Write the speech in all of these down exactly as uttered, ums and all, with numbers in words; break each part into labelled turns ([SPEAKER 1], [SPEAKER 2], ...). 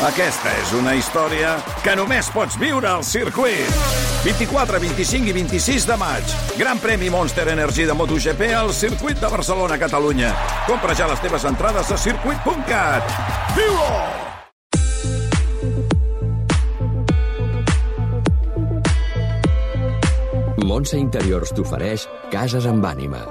[SPEAKER 1] Aquesta és una història que només pots viure al circuit. vint-i-quatre, vint-i-cinc i vint-i-sis de maig. Gran premi Monster Energy de MotoGP al circuit de Barcelona, Catalunya. Compra ja les teves entrades a circuit punt cat. Viu-ho!
[SPEAKER 2] Montse Interiors t'ofereix Cases amb ànima.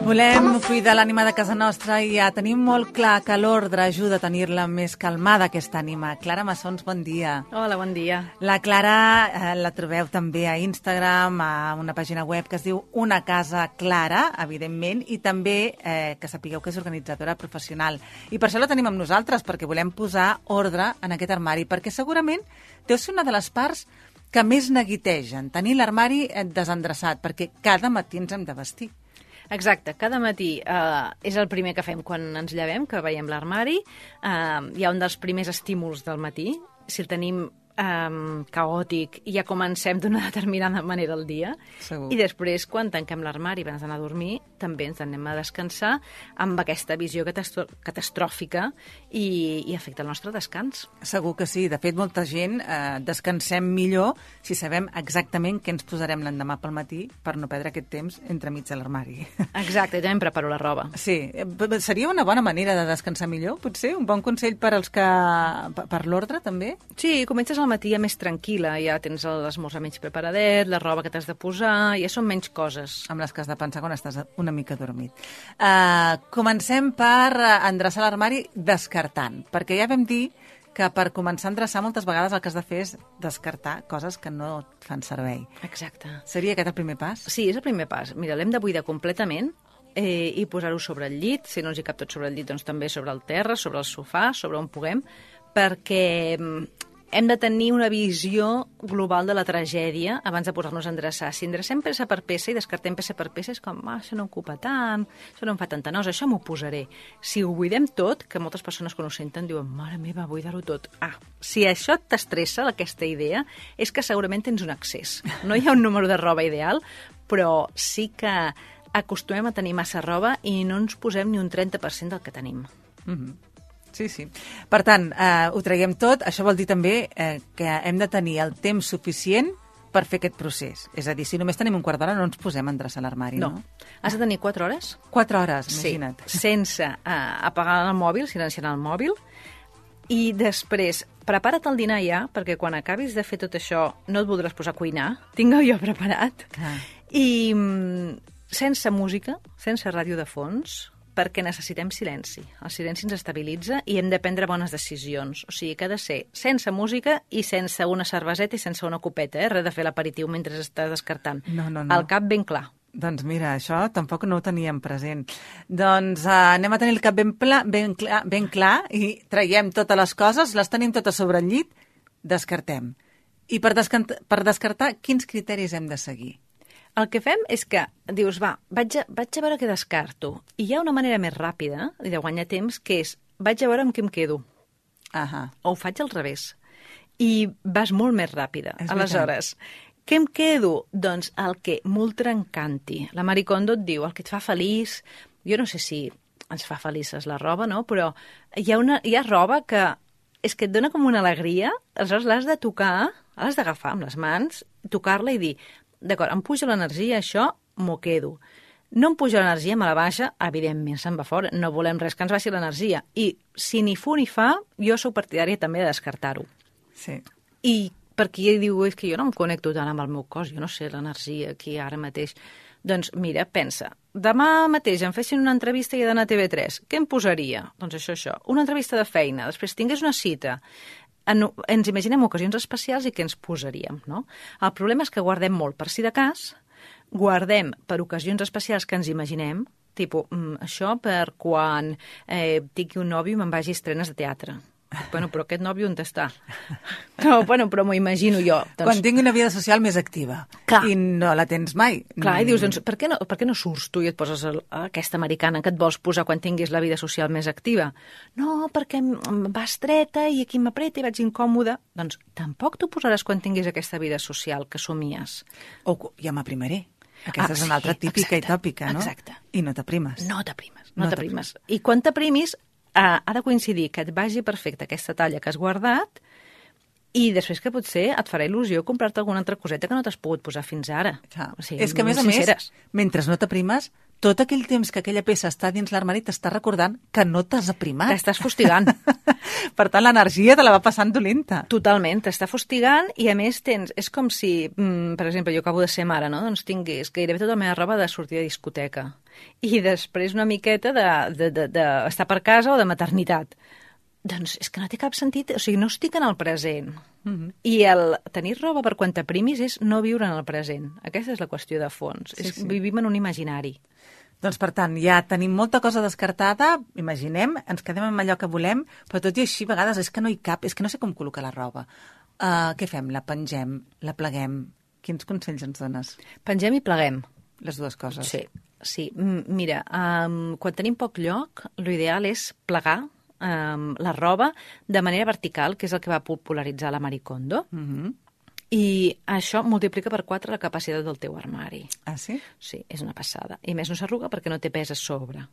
[SPEAKER 3] Volem cuidar l'ànima de casa nostra i ja tenim molt clar que l'ordre ajuda a tenir-la més calmada, aquesta ànima. Clara Massons, bon dia.
[SPEAKER 4] Hola, bon dia.
[SPEAKER 3] La Clara eh, la trobeu també a Instagram, a una pàgina web que es diu Una Casa Clara, evidentment, i també eh, que sapigueu que és organitzadora professional. I per això la tenim amb nosaltres, perquè volem posar ordre en aquest armari, perquè segurament deu ser una de les parts que més neguitegen, tenir l'armari desendreçat, perquè cada matí ens hem de vestir.
[SPEAKER 4] Exacte, cada matí eh, és el primer que fem quan ens llevem, que veiem l'armari. Eh, hi ha un dels primers estímuls del matí. Si el tenim eh, caòtic, ja comencem d'una determinada manera el dia.
[SPEAKER 3] Segur.
[SPEAKER 4] I després, quan tanquem l'armari abans d'anar a dormir, també ens anem a descansar amb aquesta visió catastro catastròfica i, i afecta el nostre descans.
[SPEAKER 3] Segur que sí. De fet, molta gent eh, descansem millor si sabem exactament què ens posarem l'endemà pel matí per no perdre aquest temps entremig de l'armari.
[SPEAKER 4] Exacte, ja em preparo la roba.
[SPEAKER 3] Sí. Seria una bona manera de descansar millor, potser? Un bon consell per als que... per l'ordre, també?
[SPEAKER 4] Sí, comences al matí ja més tranquil·la, ja tens l'esmorzar menys preparadet, la roba que t'has de posar, ja són menys coses.
[SPEAKER 3] Amb les que has de pensar quan estàs una mica dormit. Uh, comencem per endreçar l'armari descartant, perquè ja vam dir que per començar a endreçar moltes vegades el que has de fer és descartar coses que no et fan servei.
[SPEAKER 4] Exacte.
[SPEAKER 3] Seria aquest el primer pas?
[SPEAKER 4] Sí, és el primer pas. Mira, l'hem de buidar completament eh, i posar-ho sobre el llit. Si no ens hi cap tot sobre el llit, doncs també sobre el terra, sobre el sofà, sobre on puguem, perquè hem de tenir una visió global de la tragèdia abans de posar-nos a endreçar. Si endrecem peça per peça i descartem peça per peça, és com, ah, això no ocupa tant, això no em fa tanta nosa, això m'ho posaré. Si ho buidem tot, que moltes persones quan ho senten diuen, mare meva, buidar-ho tot. Ah, si això t'estressa, aquesta idea, és que segurament tens un excés. No hi ha un número de roba ideal, però sí que acostumem a tenir massa roba i no ens posem ni un trenta per cent del que tenim.
[SPEAKER 3] Mm-hmm. Sí, sí. Per tant, eh, ho traiem tot. Això vol dir també eh, que hem de tenir el temps suficient per fer aquest procés. És a dir, si només tenim un quart d'hora no ens posem a endreçar l'armari, no?
[SPEAKER 4] No. Has de tenir quatre hores.
[SPEAKER 3] Quatre hores, imagina't.
[SPEAKER 4] Sí, sense eh, apagar el mòbil, silenciant el mòbil. I després, prepara't el dinar ja, perquè quan acabis de fer tot això no et voldràs posar a cuinar. Tinc jo preparat.
[SPEAKER 3] Ah.
[SPEAKER 4] I mm, sense música, sense ràdio de fons, perquè necessitem silenci. El silenci ens estabilitza i hem de prendre bones decisions. O sigui que ha de ser sense música i sense una cerveseta i sense una copeta, eh? Res de fer l'aperitiu mentre estàs descartant.
[SPEAKER 3] No, no, no.
[SPEAKER 4] El cap ben clar.
[SPEAKER 3] Doncs mira, això tampoc no ho teníem present. Doncs uh, anem a tenir el cap ben, pla, ben, clar, ben clar i traiem totes les coses, les tenim totes sobre el llit, descartem. I per, descart per descartar, quins criteris hem de seguir?
[SPEAKER 4] El que fem és que dius, va, vaig a, vaig a veure què descarto. I hi ha una manera més ràpida i de guanyar temps, que és, vaig a veure amb què em quedo.
[SPEAKER 3] Ahà.
[SPEAKER 4] O ho faig al revés. I vas molt més ràpida.
[SPEAKER 3] És
[SPEAKER 4] Aleshores, què em quedo? Doncs el que m'ultra encanti. La Marie Kondo et diu, el que et fa feliç. Jo no sé si ens fa felices la roba, no? Però hi ha, una, hi ha roba que és que et dona com una alegria, aleshores l'has de tocar, l'has d'agafar amb les mans, tocar-la i dir, d'acord, em puja l'energia, això m'ho quedo. No em puja l'energia, me la baixa, evidentment se'n va fora. No volem res que ens baixi l'energia. I si ni fu ni fa, jo sóc partidària també de descartar-ho.
[SPEAKER 3] Sí.
[SPEAKER 4] I per qui diu, és que jo no em connecto tant amb el meu cos, jo no sé l'energia aquí ara mateix. Doncs mira, pensa, demà mateix em fessin una entrevista i he d'anar a T V tres, què em posaria? Doncs això, això. Una entrevista de feina, després tingués una cita. En, ens imaginem ocasions especials i què ens posaríem, no? El problema és que guardem molt per si de cas, guardem per ocasions especials que ens imaginem, tipus, mm, això per quan eh, tingui un nòvio i me'n vagi a estrenes de teatre. Bueno, però aquest nòvio on està? No, bueno, però m'ho imagino jo. Doncs...
[SPEAKER 3] Quan tingui una vida social més activa.
[SPEAKER 4] Clar.
[SPEAKER 3] I no la tens mai.
[SPEAKER 4] Clar, i dius, doncs, per què no, per què no surts tu i et poses el, aquesta americana que et vols posar quan tinguis la vida social més activa? No, perquè em va estreta i aquí m'apreta i vaig incòmoda. Doncs tampoc t'ho posaràs quan tinguis aquesta vida social que somies.
[SPEAKER 3] O ja m'aprimaré. Aquesta
[SPEAKER 4] Ah,
[SPEAKER 3] és una
[SPEAKER 4] sí,
[SPEAKER 3] altra típica
[SPEAKER 4] exacte,
[SPEAKER 3] i tòpica, no?
[SPEAKER 4] exacte.
[SPEAKER 3] I no t'aprimes.
[SPEAKER 4] No t'aprimes, no,
[SPEAKER 3] No
[SPEAKER 4] t'aprimes. I quan t'aprimis, uh, ha de coincidir que et vagi perfecte aquesta talla que has guardat i després que potser et farà il·lusió comprar-te alguna altra coseta que no t'has pogut posar fins ara.
[SPEAKER 3] Clar.
[SPEAKER 4] O sigui,
[SPEAKER 3] És que, a més a
[SPEAKER 4] sinceres.
[SPEAKER 3] més, mentre no t'aprimes, tot aquell temps que aquella peça està dins l'armari t'està recordant que no t'has aprimat.
[SPEAKER 4] T'estàs fustigant.
[SPEAKER 3] Per tant, l'energia te la va passant dolenta.
[SPEAKER 4] Totalment, t'està fustigant i a més tens... És com si, mm, per exemple, jo acabo de ser mare, no? Doncs tingués gairebé tota la meva roba de sortir de discoteca i després una miqueta d'estar de, de, de, de per casa o de maternitat. Doncs és que no té cap sentit, o sigui, no estic en el present. Mm-hmm. I el tenir roba per quan t'aprimis és no viure en el present. Aquesta és la qüestió de fons. Sí, és, sí. Vivim en un imaginari.
[SPEAKER 3] Doncs, per tant, ja tenim molta cosa descartada, imaginem, ens quedem amb allò que volem, però tot i així, a vegades, és que no hi cap, és que no sé com col·locar la roba. Uh, què fem? La pengem? La pleguem? Quins consells ens dones?
[SPEAKER 4] Pengem i pleguem.
[SPEAKER 3] Les dues coses.
[SPEAKER 4] Sí, sí. M mira, um, quan tenim poc lloc, l'ideal és plegar um, la roba de manera vertical, que és el que va popularitzar la Marie Kondo. Mm-hmm. I això multiplica per quatre la capacitat del teu armari.
[SPEAKER 3] Ah, sí?
[SPEAKER 4] Sí, és una passada. I més no s'arruga perquè no té pes a sobre.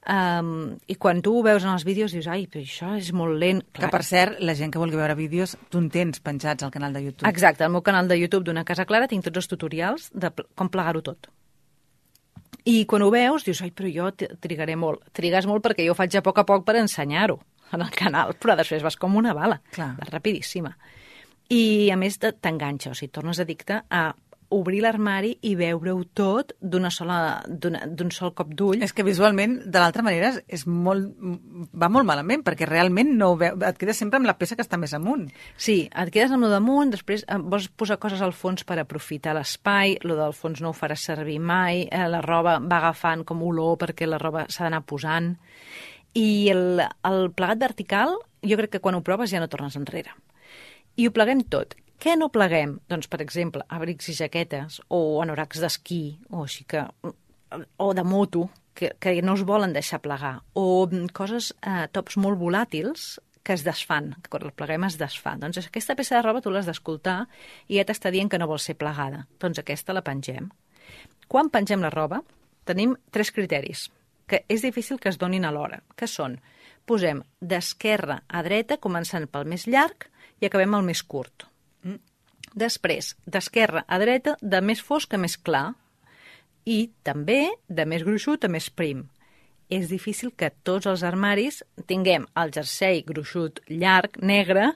[SPEAKER 4] Um, I quan tu ho veus en els vídeos dius, ai, però això és molt lent.
[SPEAKER 3] Clar. Que, per cert, la gent que vulgui veure vídeos, tu en tens penjats al canal de YouTube.
[SPEAKER 4] Exacte, al meu canal de YouTube d'Una Casa Clara tinc tots els tutorials de com plegar-ho tot. I quan ho veus dius, ai, però jo trigaré molt. Trigues molt perquè jo ho faig a poc a poc per ensenyar-ho en el canal, però després vas com una bala.
[SPEAKER 3] Clar.
[SPEAKER 4] Vas rapidíssima. I, a més, t'enganxa, o sigui, tornes addicte a obrir l'armari i veure-ho tot d'una sola, d'un sol cop d'ull.
[SPEAKER 3] És que visualment, de l'altra manera, és molt, va molt malament, perquè realment no ho veu, et quedes sempre amb la peça que està més amunt.
[SPEAKER 4] Sí, et quedes amb lo damunt, després vols posar coses al fons per aprofitar l'espai, lo del fons no ho faràs servir mai, eh, la roba va agafant com olor perquè la roba s'ha d'anar posant. I el, el plegat vertical, jo crec que quan ho proves ja no tornes enrere. I ho pleguem tot. Què no pleguem? Doncs, per exemple, abrics i jaquetes, o anoracs d'esquí, o així que... o de moto, que, que no es volen deixar plegar, o coses, eh, tops molt volàtils que es desfan, que quan el pleguem es desfan. Doncs aquesta peça de roba tu l'has d'escoltar i ja t'està dient que no vol ser plegada. Doncs aquesta la pengem. Quan pengem la roba, tenim tres criteris, que és difícil que es donin alhora, que són, posem d'esquerra a dreta, començant pel més llarg, i acabem al més curt. Mm. Després, d'esquerra a dreta, de més fosc a més clar, i també de més gruixut a més prim. És difícil que tots els armaris tinguem el jersei gruixut llarg, negre,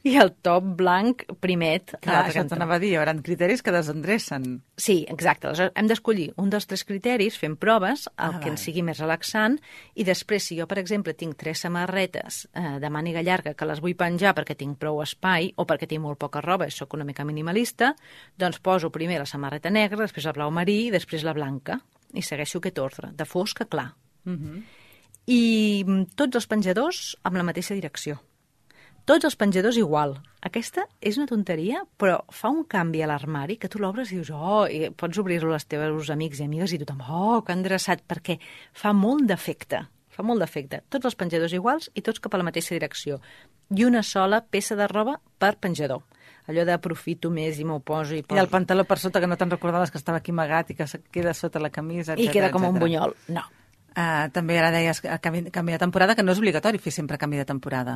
[SPEAKER 4] i el top blanc primet.
[SPEAKER 3] Clar, això t'anava a dir, hi haurà criteris que desendrecen.
[SPEAKER 4] Sí, exacte. Aleshores, hem d'escollir un dels tres criteris, fem proves, el ah, que ens sigui més relaxant, i després, si jo, per exemple, tinc tres samarretes eh, de màniga llarga que les vull penjar perquè tinc prou espai o perquè tinc molt poca roba i sóc una mica minimalista, doncs poso primer la samarreta negra, després la blau marí i després la blanca. I segueixo aquest ordre, de fosc a clar. Uh-huh. I tots els penjadors amb la mateixa direcció. Tots els penjadors igual. Aquesta és una tonteria, però fa un canvi a l'armari que tu l'obres i dius, oh, i pots obrir-lo als teus amics i amigues i tothom, oh, que endreçat, perquè fa molt d'efecte. Fa molt d'efecte. Tots els penjadors iguals i tots cap a la mateixa direcció. I una sola peça de roba per penjador. Allò d'aprofito més i m'ho poso i poso.
[SPEAKER 3] I el pantaló per sota que no te'n recordaves que estava aquí amagat i que queda sota la camisa, etcètera.
[SPEAKER 4] I queda com
[SPEAKER 3] etcètera.
[SPEAKER 4] Un bunyol. No.
[SPEAKER 3] Uh, també ara deies canvi, canvi de temporada, que no és obligatori fer sempre canvi de temporada.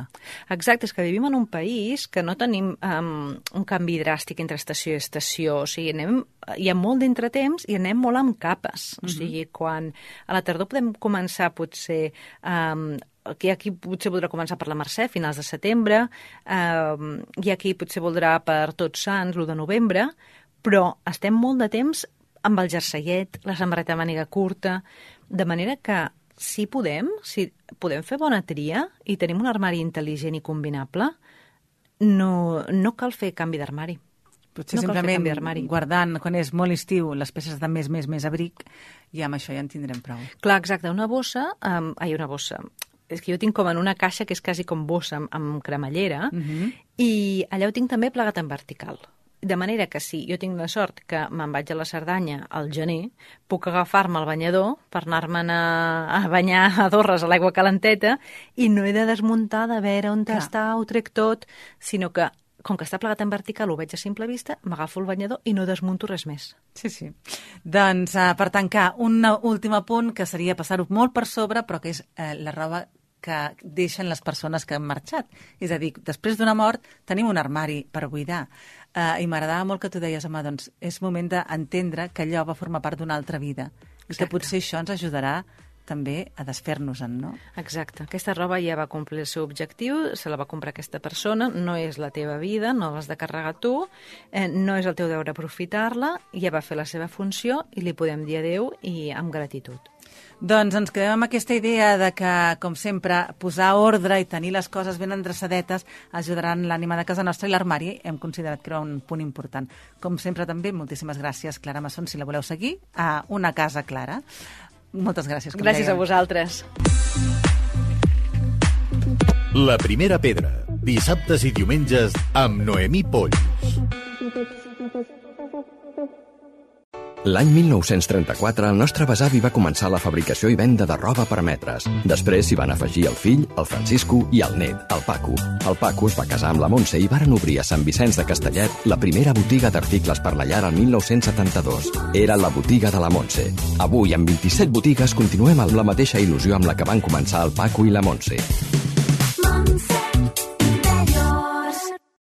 [SPEAKER 4] Exacte, és que vivim en un país que no tenim um, un canvi dràstic entre estació i estació. O sigui, anem, hi ha molt d'entretemps i anem molt amb capes. O sigui, quan a la tardor podem començar potser... Um, Aquí, aquí potser voldrà començar per la Mercè, finals de setembre, eh, i aquí potser voldrà per Tots Sants, l'u de novembre, però estem molt de temps amb el jerseiet, la samarreta de màniga curta, de manera que si podem, si podem fer bona tria i tenim un armari intel·ligent i combinable, no, no cal fer canvi d'armari.
[SPEAKER 3] Potser no simplement guardant, quan és molt estiu, les peces de més, més, més abric, i amb això ja en tindrem prou.
[SPEAKER 4] Clar, exacte. Una bossa, um, ai, una bossa... És que jo tinc com en una caixa que és quasi com bossa amb, amb cremallera, uh-huh. i allà ho tinc també plegat en vertical. De manera que si jo tinc la sort que me'n vaig a la Cerdanya al gener, puc agafar-me el banyador per anar-me'n a, a banyar a Dorres a l'aigua calenteta i no he de desmuntar de veure on Clar. Està, ho trec tot, sinó que com que està plegat en vertical, ho veig a simple vista, m'agafo el banyador i no desmunto res més.
[SPEAKER 3] Sí, sí. Doncs, uh, per tancar, un últim punt que seria passar-ho molt per sobre, però que és uh, la roba que deixen les persones que han marxat. És a dir, després d'una mort tenim un armari per buidar. Uh, I m'agradava molt que tu deies, home, doncs és moment d'entendre que allò va formar part d'una altra vida. I Exacte. Que potser això ens ajudarà també a desfer-nos-en, no?
[SPEAKER 4] Exacte. Aquesta roba ja va complir el seu objectiu, se la va comprar aquesta persona, no és la teva vida, no l'has de carregar tu, eh, no és el teu deure aprofitar-la, ja va fer la seva funció i li podem dir adéu i amb gratitud.
[SPEAKER 3] Doncs ens quedem amb aquesta idea de que, com sempre, posar ordre i tenir les coses ben endreçadetes ajudaran l'ànima de casa nostra, i l'armari hem considerat que era un punt important. Com sempre també, moltíssimes gràcies, Clara Masson, si la voleu seguir, a Una Casa Clara. Moltes gràcies.
[SPEAKER 4] Gràcies a vosaltres.
[SPEAKER 5] La primera pedra, dissabtes i diumenges amb Noemí Polls.
[SPEAKER 2] L'any mil nou-cents trenta-quatre, el nostre besavi va començar la fabricació i venda de roba per metres. Després s'hi van afegir el fill, el Francisco, i el net, el Paco. El Paco es va casar amb la Montse i varen obrir a Sant Vicenç de Castellet la primera botiga d'articles per la llar el mil nou-cents setanta-dos. Era la botiga de la Montse. Avui, amb vint-i-set botigues, continuem amb la mateixa il·lusió amb la que van començar el Paco i la Montse.